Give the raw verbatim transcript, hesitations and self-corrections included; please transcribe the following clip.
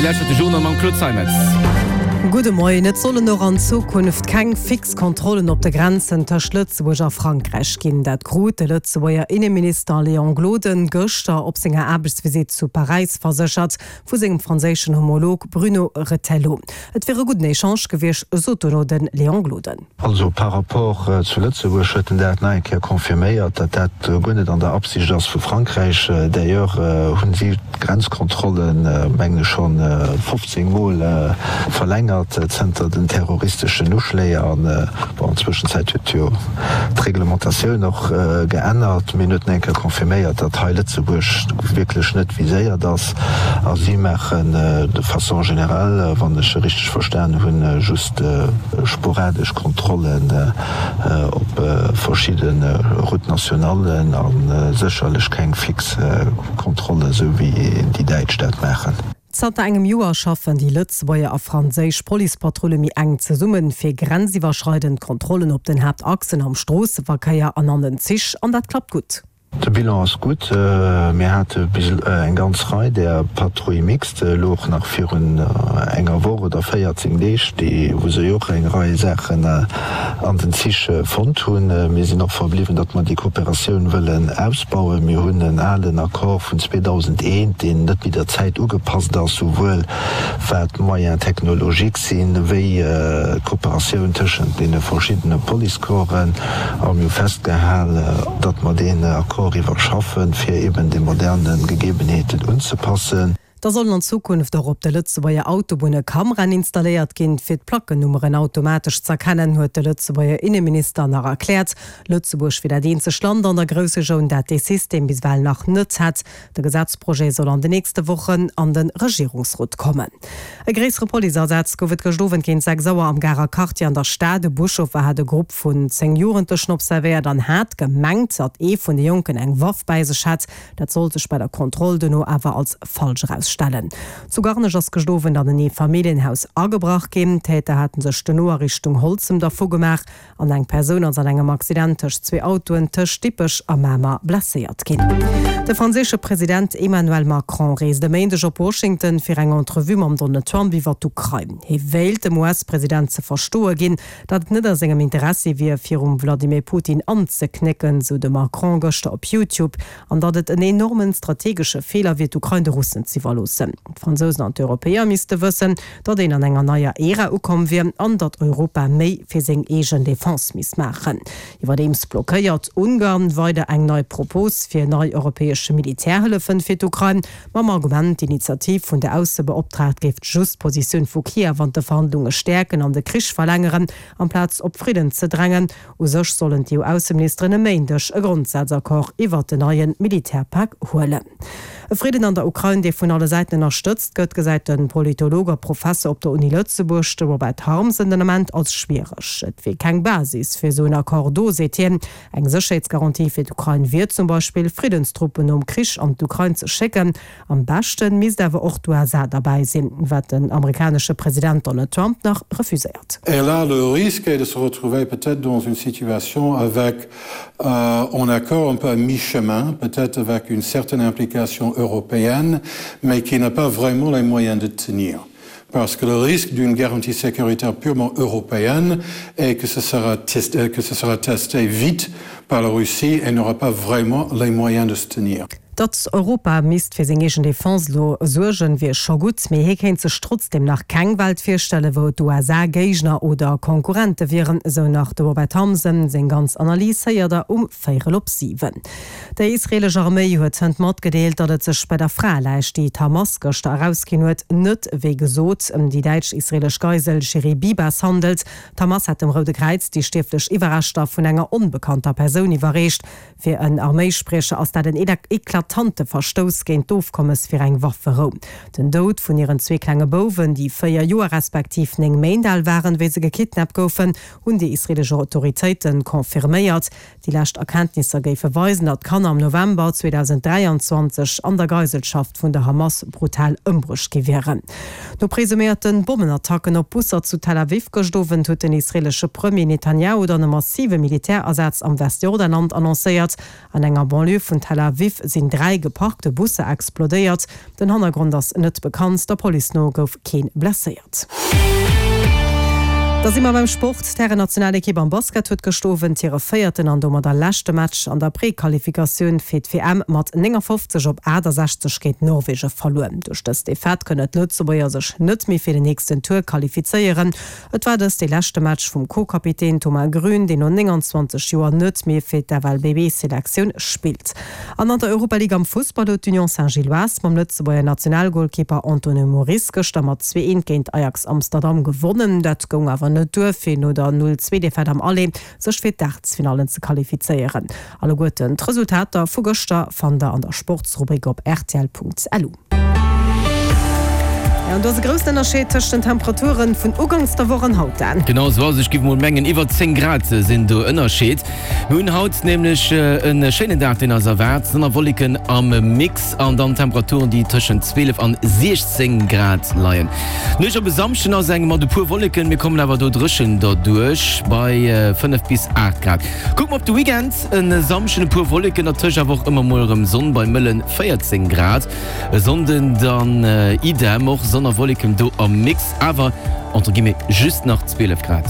Dir lauschtert de Journal mam Claude Zeimetz. Gudde Moien. Et sollen och an Zukunft keng fix Kontrollen op de Grenzen tëscht Lëtzebuerg a Frankräich ginn. Dat krut de Lëtzebuerger Inneminister Léon Gloden gëschter op senger Aarbechtsvisitt zu Paräis verséchert vu sengem franséischen Homolog Bruno Retailleau. Et wier e gudden Echange gewiescht, sot dono de Léon Gloden. Also par rapport zu Lëtzebuerg huet en dat nach eng Kéier confirméiert, datt dat guer net an der Absicht ass vu Frankräich. D'ailleurs hunn si d'Grenzkontrollen, mengen ech, schonn fofzéng Mol verlängert zënter den terroristeschen Uschléi. An bon, an Zwëschenzäit huet jo d'Reglementatioun och geännert. Mee en huet nach eng Kéier confirméiert, datt hei Lëtzebuerg wierklech net viséiert ass. A si maachen de façon générale, wann ech se richteg verstan hunn, just sporadesch Kontrollen op verschidde Routes nationallen a sécherlech keng fix Kontrollen, esou wéi déi Däitsch dat maachen. Zanter engem Joer schaffen déi Lëtzebuerger a franséisch Policepatrulle méi enk zesummen, fir grenziwwerschreidend Kontrollen op den Haaptachsen am Stroosseverkéier an an den Zich, an dat klappt gutt. De Bilan ass gutt. Mir hate bis eng ganz Rei där Patrouilles mixtes, elo och nach virun enger Woch oder véierzéng Deeg, déi, wou se jo och eng Rei Saachen an den Zich fonnt hunn. Mir sinn och verbliwwen, datt mer déi Kooperatioun wëllen ausbauen. Mir hunn en alen Accord vun zweedausendeent, deen net méi der Zäit ugepasst ass, souwuel wat d'Moyens technologiques sinn, wéi d'Kooperatioun tëschent deene verschiddene Policecorpsen. A mir hu festgehal, datt mer deen Accord iwwerschaffen, fir eben de moderne Gegebenheeten unzepassen. Da sollen an Zukunft och op de Lëtzebuerger Autobunne Kameraen installéiert ginn, fir d'Plackennummeren automatesch z'erkennen, huet de Lëtzebuerger Inneminister nach erkläert. Lëtzebuerg wier dat eenzegt Land an der Groussregioun, dat dee System bis ewell nach net hätt. De Gesetzprojet soll an de nächste Wochen an de Regierungsrot kommen. E gréissere Policeasaz gouf et gëscht Owend géint sechs Auer am Garer Quartier an der Stad. E Buschauffer hat e Grupp vun zéng Jugendlechen observéiert an hat gemengt, datt ee vun de Jonken eng Waff bäi sech hätt. Dat sollt sech bei der Kontroll duerno awer als falsch erausstellen. Zu Garnech ass gëscht Owend an en Eefamilljenhaus agebrach ginn. D'Täter hate sech duerno a Richtung Holzem dervu gemaach an eng Persoun ass an engem Accident tëscht zwee Autoen tëscht Dippech a Mamer blesséiert ginn. De franséische President Emmanuel Macron reest e Méindeg op Washington fir eng Entrevue mam Donald Trump iwwer d'Ukrain. Hie wéilt dem U S-President ze verstoe ginn, datt et net a sengem Interessi wier, virum Vladimir Putin anzeknécken, sou de Macron gëschter op YouTube, an datt et en enormen strategesche Feeler wier, d'Ukrain de Russen z'iwwerloossen. D'Fransousen an d'Europäer misste wëssen, datt een an enger neier Ära ukomm wier an datt Europa méi fir seng eegen Defense misst maachen. Iwwerdeems blockéiert Ungarn weider eng nei Propos fir nei europäesche Militärhëllefen fir d'Ukrain, mam Argument, d'Initiativ vun der Aussebeoptraagt géif just d'Positioun vu Kiew an de Verhandlunge stäerken an de Krich verlängeren, amplaz op Fridden ze drängen. U sech sollen d'E U-Ausseministeren e Méindeg e Grondsazaccord iwwert den neie Militärpak huelen. E Fridden an der Ukrain, dee vun alle Säiten ënnerstëtzt gëtt, gesäit de Politolog a Professer op der Uni Lëtzebuerg, de Robert Harmsen, den Ament als schwiereg. Et wier keng Basis fir esou en Accord do, seet hien. Eng Sécherheetsgarantie fir d'Ukrain wier zum Beispill, Friddenstruppen nom Krich an d'Ukrain ze schécken. Am beschte misst awer och d'U S A derbäi sinn, wat den amerikanesche President Donald Trump nach refuséiert. Et là, le risque est de se retrouver peut-être dans une situation avec euh, un accord un peu à mi-chemin, peut-être avec une certaine implication européenne, mais qui n'a pas vraiment les moyens de tenir. Parce que le risque d'une garantie sécuritaire purement européenne est que ce sera testé, que ce sera testé vite par la Russie et n'aura pas vraiment les moyens de se tenir. Datt Europa misst fir seng eegen Defense lo suergen, wier scho gutt, mee hie kéint sech trotzdeem nach keng Welt virstellen, wou d'U S A Géigner oder Konkurrente wieren, esou nach de Robert Harmsen. Seng ganz Analys héiert der um véierel op siwen. Déi israeelesch Arméi huet hënt matgedeelt, datt et sech bei der Fraeläich, déi d'Hamas gëschter erausginn huet, net wéi gesot ëm déi däitsch-israeelesch Geisel Shiri Bibas handelt. D'Hamas hat dem Roude Kräiz déi stierflech Iwwerreschter vun enger onbekannter Persoun iwwerreecht. Fir en Arméispriecher ass dat en eklatante Verstouss géint d'Ofkommes fir eng Wafferou. Den Doud vun hiren zwee klenge Bouwen, déi véier Joer respektiv néng Méint al waren, wéi se gekidnappt goufen, hunn déi israeelesch Autoritéite confirméiert. Déi lescht Erkenntnisser géife weisen, datt d'Kanner am November zweedausend dräianzwanzeg an der Geiselschaft vun der Hamas brutal ëmbruecht gi wieren. No presuméierte Bommenattacken op Busser zu Tel Aviv gëscht Owend huet den israeelesche Premier Netanjahu dann e massive Militärasaz am Westjordanland annoncéiert. An enger Banlieue vun Tel Aviv sinn sinn dräi geparkte Busser explodéiert. Den Hannergrond ass net bekannt, der Police no gouf kee blesséiert. Da si mer beim Sport, D'Hären-Nationalekipp am Basket huet gëscht Owend hire véierten an domadder leschte Match an der Prequalifikatioun fir d'WM mat néngafofzeg op aachtasechzeg géint Norwege verluer. Duerch dës Defaite kënnen d'Lëtzebuerger sech net méi fir den nächsten Tour qualifizéieren. Et war dëst dee leschte Match vum Co-Kapitän Thomas Grün, deen no nénganzwanzeg Joer net méi fir d'FLBB-Selektioun spillt. An an der Europa League am Fussball huet d'Union Saint-Gilloise mam Lëtzebuerger Nationalgolkeeper Anthony Moris gëschter mat zwee eent géint Ajax Amsterdam gewonnen. Dat goung awer net duer, fir no der null zwee Defaite am Aller sech fir d'Aachtelsfinallen ze qualifizéieren. Alleguerten d'Resultater vu gëschter fannt der an der Sportsrubrik op rtl.lu. Jo, an do ass e groussen Ënnerscheed tëscht den Temperaturen vun ugangs der Woch an haut, Dan. Genau esou ass et. Ech géif mol mengen, iwwer zéng Grad sinn do Ënnerscheed. Mir hunn haut nämlech e schéinen Dag, deen eis erwaart. Sonn a Wolleken am Mix an dann Temperaturen, déi tëschent zwielef an siechzéng Grad leien. D'Nuecht op e Samschden ass eng mat e puer Wolleken, mir kommen awer do dréchen derduerch bei fënnef bis aacht Grad. Kucke mer op de Weekend, E Samschden e puer Wolleken, dertëscht awer och ëmmer mol erëm Sonn bei mëlle véierzéng Grad. E Sonnden dann idem, och Sonn a Wolleken do am Mix, awer entre guillemets just nach zwielef Grad.